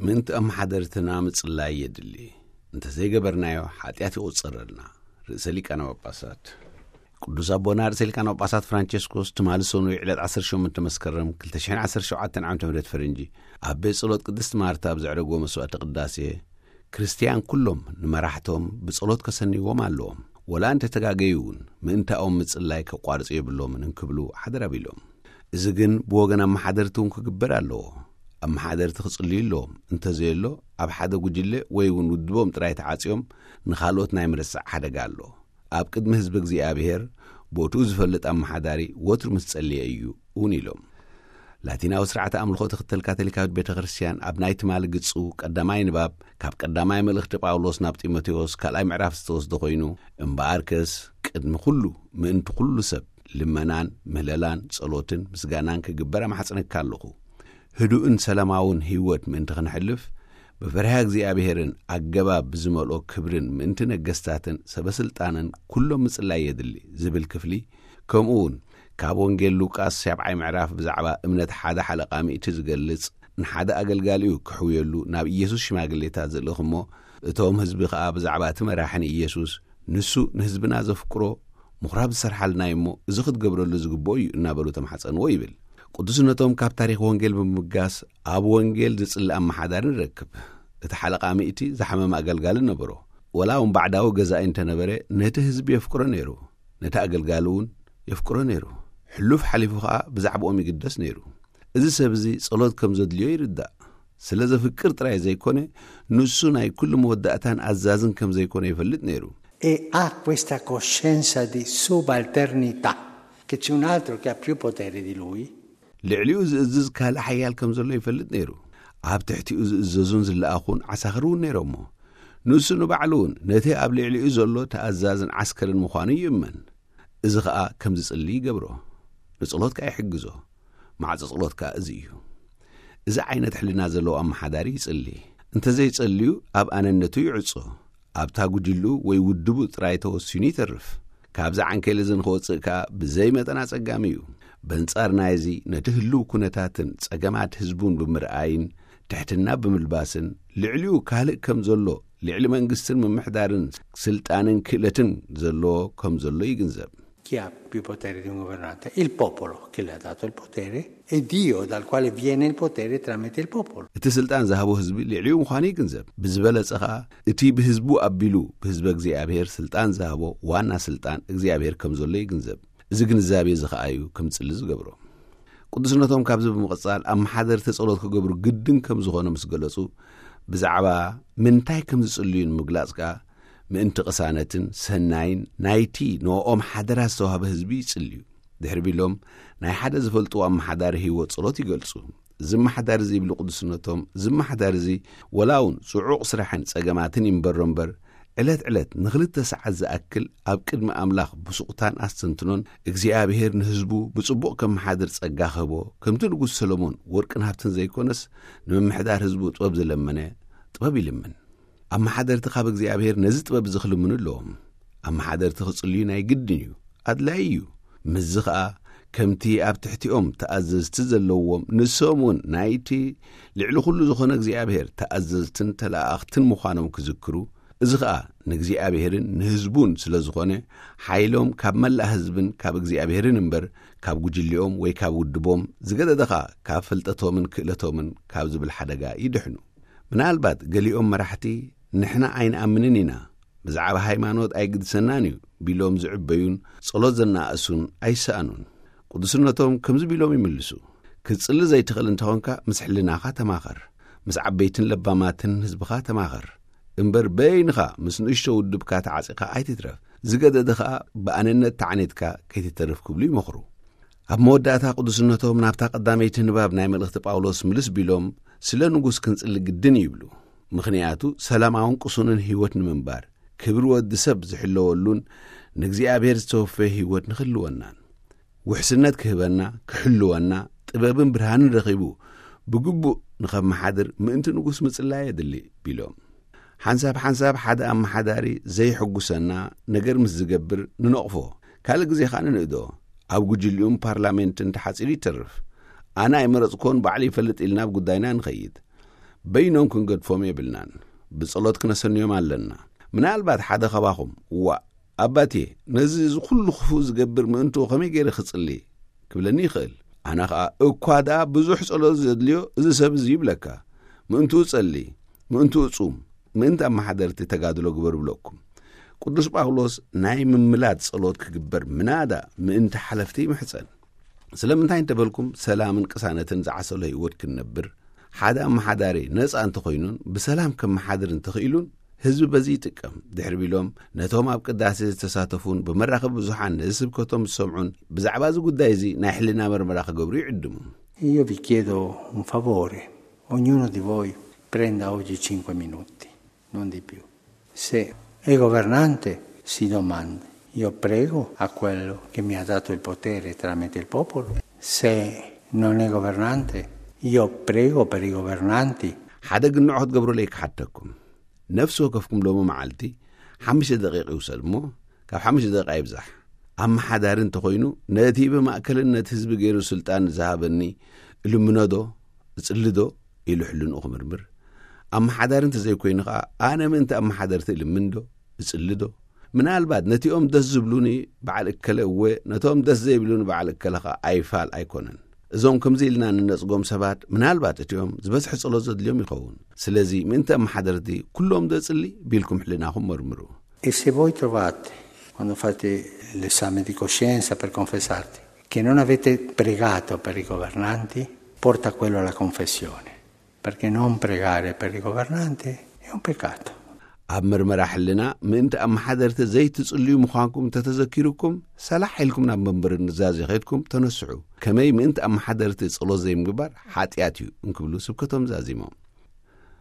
ምእንቲ ኣመሓደርትና ምጽላይ የድሊ። እንተዘይገበርናዮ፣ ሓጢኣት ይቑጸረልና። ርእሰ ሊቃነ ጳጳሳት ቅዱስ ኣቦና ርእሰ ሊቃነ ጳጳሳት ፍራንቸስኮስ ትማሊ ሰኑይ ዕለት ዓሰርተ ሸሞንተ መስከረም ክልተ ሽሕን ዓሰርተ ሸውዓተን ዓመተ ምህረት ፈረንጂ ኣብ ቤት ጸሎት ቅድስት ማርታ ኣብ ዘዕረግዎ መስዋዕተ ቅዳሴ፣ ክርስትያን ኩሎም ንመራሕቶም ብጸሎት ከሰንይዎም ኣለዎም። ወላ እንተ ተጋገዩ እውን ምእንታኦም ምጽላይ ከቋርጹ የብሎምን እንክብሉ ሓደራ ቢሎም። እዚ ግን ብወገን ኣመሓደርቲ እውን ክግበር ኣለዎ። ኣመሓደርቲ ክጽልዩ ኣለዎም። እንተዘየሎ ኣብ ሓደ ጉጅለ ወይ እውን ውድቦም ጥራይ ተዓጽዮም ንኻልኦት ናይ ምርሳዕ ሓደጋ ኣሎ። ኣብ ቅድሚ ህዝቢ እግዚኣብሔር ቦትኡ ዝፈልጥ ኣመሓዳሪ ወትሩ ምስ ጸልየ እዩ እውን ኢሎም። ላቲናዊ ስርዓተ ኣምልኾ ትኽተል ካቶሊካዊት ቤተ ክርስቲያን ኣብ ናይ ትማሊ ግጹ ቀዳማይ ንባብ ካብ ቀዳማይ መልእኽቲ ጳውሎስ ናብ ጢሞቴዎስ ካልኣይ ምዕራፍ ዝተወስደ ኮይኑ፣ እምበኣርከስ ቅድሚ ኩሉ ምእንቲ ኩሉ ሰብ ልመናን ምህለላን ጸሎትን ምስጋናን ክግበር ኣማሕጽነካ ኣለኹ። ህዱእን ሰላማውን ህይወት ምእንቲ ክንሕልፍ ብፍርሃ እግዚኣብሔርን ኣገባብ ብዝመልኦ ክብርን ምእንቲ ነገስታትን ሰበስልጣንን ኩሎም ምጽላይ የድሊ ዝብል ክፍሊ፣ ከምኡ እውን ካብ ወንጌል ሉቃስ ሻብዓይ ምዕራፍ ብዛዕባ እምነት ሓደ ሓለቓ ሚእቲ ዝገልጽ፣ ንሓደ ኣገልጋሊኡ ክሕውየሉ ናብ ኢየሱስ ሽማግሌታት ዝልእኽ እሞ፣ እቶም ህዝቢ ኸኣ ብዛዕባ እቲ መራሒ ንኢየሱስ፣ ንሱ ንህዝብና ዘፍቅሮ ምኹራብ ዝሰርሓልና እዩ እሞ፣ እዚ ክትገብረሉ ዝግብኦ እዩ እናበሉ ተማሕጸንዎ ይብል። ቅዱስነቶም ካብ ታሪኽ ወንጌል ብምብጋስ፣ ኣብ ወንጌል ዝጽሊ ኣመሓዳሪ ንረክብ። እቲ ሓለቓ ሚእቲ ዝሓመመ ኣገልጋሊ ነበሮ። ወላ እውን ባዕዳዊ ገዛኢ እንተነበረ፣ ነቲ ህዝቢ የፍቅሮ ነይሩ፣ ነቲ ኣገልጋሊ እውን የፍቅሮ ነይሩ። ሕሉፍ ሓሊፉ ኸኣ ብዛዕባኦም ይግደስ ነይሩ። እዚ ሰብ እዚ ጸሎት ከም ዘድልዮ ይርዳእ። ስለ ዘፍቅር ጥራይ ዘይኮነ፣ ንሱ ናይ ኩሉ መወዳእታን ኣዛዝን ከም ዘይኮነ ይፈልጥ ነይሩ። E ha questa coscienza di subalternità, che c'è un altro che ha più potere di lui. ልዕሊኡ ዝእዝዝ ካልእ ሓያል ከም ዘሎ ይፈልጥ ነይሩ። ኣብ ትሕቲኡ ዝእዘዙን ዝለኣኹን ዓሳኽር እውን ነይሮሞ። ንሱ ንባዕሉ እውን ነቲ ኣብ ልዕሊኡ ዘሎ ተኣዛዝን ዓስከርን ምዃኑ ይእመን። እዚ ኸኣ ከም ዝጽሊ ይገብሮ። ንጸሎት ከኣ ይሕግዞ። ማዕጾ ጸሎት ከኣ እዚ እዩ። እዚ ዓይነት ሕልና ዘለዎ ኣመሓዳሪ ይጽሊ። እንተዘይጸልዩ ኣብ ኣነነቱ ይዕጾ። ኣብታ ጉጅልኡ ወይ ውድቡ ጥራይ ተወሲኑ ይተርፍ። ካብዚ ዓንኬል እዚ ንኽወጽእ ከኣ ብዘይ መጠን ኣጸጋሚ እዩ። በንጻር ናይዚ ነቲ ህልው ኩነታትን ጸገማት ህዝቡን ብምርኣይን ትሕትና ብምልባስን ልዕሊኡ ካልእ ከም ዘሎ ልዕሊ መንግስትን ምምሕዳርን ስልጣንን ክእለትን ዘለዎ ከም ዘሎ ይግንዘብ። Chi ha più potere di un governante? Il popolo che le ha dato il potere e Dio dal quale viene il potere tramite il popolo. እቲ ስልጣን ዝሃቦ ህዝቢ ልዕሊኡ ምዃኑ ይግንዘብ። ብዝበለጸ ኸኣ እቲ ብህዝቡ ኣቢሉ ብህዝበ እግዚኣብሔር ስልጣን ዝሃቦ ዋና ስልጣን እግዚኣብሔር ከም ዘሎ ይግንዘብ። እዚ ግንዛቤ እዚ ኸኣ እዩ ከም ዝጽሊ ዝገብሮ። ቅዱስነቶም ካብዚ ብምቕጻል ኣመሓደርቲ ጸሎት ክገብሩ ግድን ከም ዝኾነ ምስ ገለጹ፣ ብዛዕባ ምንታይ ከም ዝጽልዩ ንምግላጽ ከኣ ምእንቲ ቅሳነትን ሰናይን ናይቲ ንኦም ሓደራ ዝተዋህበ ህዝቢ ይጽልዩ። ድሕሪ ቢሎም ናይ ሓደ ዝፈልጥዎ ኣመሓዳሪ ህይወት ጸሎት ይገልጹ። እዚ ኣመሓዳሪ እዚ ይብሉ ቅዱስነቶም፣ እዚ ኣመሓዳሪ እዚ ወላ እውን ጽዑቕ ስራሕን ጸገማትን ይንበሮ እምበር ዕለት ዕለት ንኽልተ ሰዓት ዝኣክል ኣብ ቅድሚ ኣምላኽ ብሱቕታን ኣስተንትኖን እግዚኣብሔር ንህዝቡ ብጽቡቕ ከመሓድር ጸጋ ክህቦ፣ ከምቲ ንጉስ ሰሎሞን ወርቅን ሃብትን ዘይኮነስ ንምምሕዳር ህዝቡ ጥበብ ዝለመነ ጥበብ ይልምን። ኣመሓደርቲ ካብ እግዚኣብሔር ነዚ ጥበብ እዚ ክልምኑ ኣለዎም። ኣመሓደርቲ ክጽልዩ ናይ ግድን እዩ፣ ኣድላይ እዩ። ምስዚ ኸኣ ከምቲ ኣብ ትሕቲኦም ተኣዘዝቲ ዘለዎም ንሶም እውን ናይቲ ልዕሊ ኩሉ ዝኾነ እግዚኣብሔር ተኣዘዝትን ተለኣኣኽትን ምዃኖም ክዝክሩ፣ እዚ ኸኣ ንእግዚኣብሔርን ንህዝቡን ስለ ዝኾነ፣ ሓይሎም ካብ መላእ ህዝብን ካብ እግዚኣብሔርን እምበር ካብ ጉጅሊኦም ወይ ካብ ውድቦም፣ ዝገደደ ኸኣ ካብ ፍልጠቶምን ክእለቶምን ካብ ዝብል ሓደጋ ይድሕኑ። ምናልባት ገሊኦም መራሕቲ ንሕና ኣይንኣምንን ኢና፣ ብዛዕባ ሃይማኖት ኣይግድሰናን እዩ ቢሎም ዝዕበዩን ጸሎት ዘነኣእሱን ኣይሰኣኑን። ቅዱስነቶም ከምዚ ቢሎም ይምልሱ፣ ክትጽሊ ዘይትኽእል እንተኾንካ ምስ ሕልናኻ ተማኸር፣ ምስ ዓበይትን ለባማትን ህዝብኻ ተማኸር እምበር በይንኻ ምስ ንእሽቶ ውድብካ ተዓጺኻ ኣይትትረፍ፣ ዝገደደ ኸኣ ብኣነነት ተዓኒትካ ከይትተርፍ ክብሉ ይመኽሩ። ኣብ መወዳእታ ቅዱስነቶም ናብታ ቀዳመይቲ ንባብ ናይ መልእኽቲ ጳውሎስ ምልስ ቢሎም ስለ ንጉስ ክንጽሊ ግድን ይብሉ። ምኽንያቱ ሰላማውን ቅሱንን ህይወት ንምንባር ክብሪ ወዲ ሰብ ዝሕለወሉን ንእግዚኣብሔር ዝተወፈየ ህይወት ንኽህልወናን ውሕስነት ክህበና ክሕልወና ጥበብን ብርሃንን ረኺቡ ብግቡእ ንኸመሓድር ምእንቲ ንጉስ ምጽላይ የድሊ ቢሎም። ሓንሳብ ሓንሳብ ሓደ ኣመሓዳሪ ዘይሕጉሰና ነገር ምስ ዝገብር ንነቕፎ፣ ካልእ ግዜ ኸኣ ንንእዶ። ኣብ ጉጅሊኡን ፓርላሜንትን ተሓጺሩ ይተርፍ። ኣነ ኣይመረጽኮን ባዕሉ ይፈልጥ ኢልና ኣብ ጉዳይና ንኸይድ። በይኖም ክንገድፎም የብልናን። ብጸሎት ክነሰንዮም ኣለና። ምናልባት ሓደ ኻባኹም፣ "ዋእ፣ ኣባቴ፣ ነዚ እዚ ኩሉ ክፉእ ዝገብር ምእንትኡ ከመይ ገይረ ክጽሊ?" ክብለኒ ይኽእል። ኣነ ኸኣ፣ "እኳ ደኣ ብዙሕ ጸሎት ዘድልዮ እዚ ሰብ እዚ" ይብለካ። ምእንትኡ ጸሊ፣ ምእንትኡ ጹም፣ ምእንቲ ኣመሓደርቲ ተጋድሎ ግበር ብለኩም። ቅዱስ ጳውሎስ ናይ ምምላድ ጸሎት ክግበር ምናዳ ምእንቲ ሓለፍቲ ይምሕጸን። ስለምንታይ እንተበልኩም፣ ሰላምን ቅሳነትን ዝዓሰሎ ህይወት ክንነብር፣ ሓደ ኣመሓዳሪ ነጻ እንተኾይኑን ብሰላም ከመሓድር እንተኽኢሉን፣ ህዝቢ በዚ ይጥቀም። ድሕሪ ቢሎም፣ ነቶም ኣብ ቅዳሴ ዝተሳተፉን ብመራኸቢ ብዙሓን ነዚ ስብከቶም ዝሰምዑን፣ ብዛዕባ እዚ ጉዳይ እዚ ናይ ሕልና መርመራ ክገብሩ ይዕድሙ። Io vi chiedo un favore, ognuno di voi prenda oggi cinque minuti, non di più. Se è governante, si domandi: "Io prego a quello che mi ha dato il potere tramite il popolo?" Se non è governante, io prego per i governanti? ሓደ ግንዖ ክትገብሩለይ ክሓተኩም። ነፍሲ ወከፍኩም ሎሚ መዓልቲ ሓሙሽተ ደቂቕ ይውሰድ እሞ፣ ካብ ሓሙሽተ ደቂቕ ኣይብዛሕ። ኣመሓዳሪ እንተኾይኑ፣ ነቲ ብማእከልነት ህዝቢ ገይሩ ስልጣን ዝሃበኒ እልምኖ ዶ፣ እጽሊ ዶ ኢሉ ሕልንኡ ክምርምር። ኣመሓዳሪ እንተዘይኮይኑ ኸኣ፣ ኣነ ምእንቲ ኣመሓደርቲ እልምን ዶ፣ እጽሊ ዶ? ምናልባት ነቲኦም ደስ ዝብሉኒ በዓል እከለ እወ፣ ነቶም ደስ ዘይብሉኒ በዓል እከለ ኸኣ ኣይፋል ኣይኮነን። እዞም ከምዚ ኢልና እንነጽጎም ሰባት፣ ምናልባት እቲኦም ዝበዝሐ ጸሎት ዘድልዮም ይኸውን። ስለዚ ምእንቲ ኣመሓደርቲ ኩሎም ዶ እጽሊ ቢልኩም ሕልናኹም መርምሩ። E se voi trovate, quando fate l'esame di coscienza per confessarti, che non avete pregato per i governanti, porta quello alla confessione, perché non pregare per i governanti è un peccato. ኣብ መርመራ ሕልና ምእንቲ ኣመሓደርቲ ዘይትጽልዩ ምዃንኩም እንተተዘኪሩኩም፣ ሰላሕ ኢልኩም ናብ መንበሪ ኑዛዜ ኸይድኩም ተነስሑ። ከመይ ምእንቲ ኣመሓደርቲ ጸሎት ዘይምግባር ሓጢኣት እዩ እንክብሉ ስብከቶም ዛዚሞም።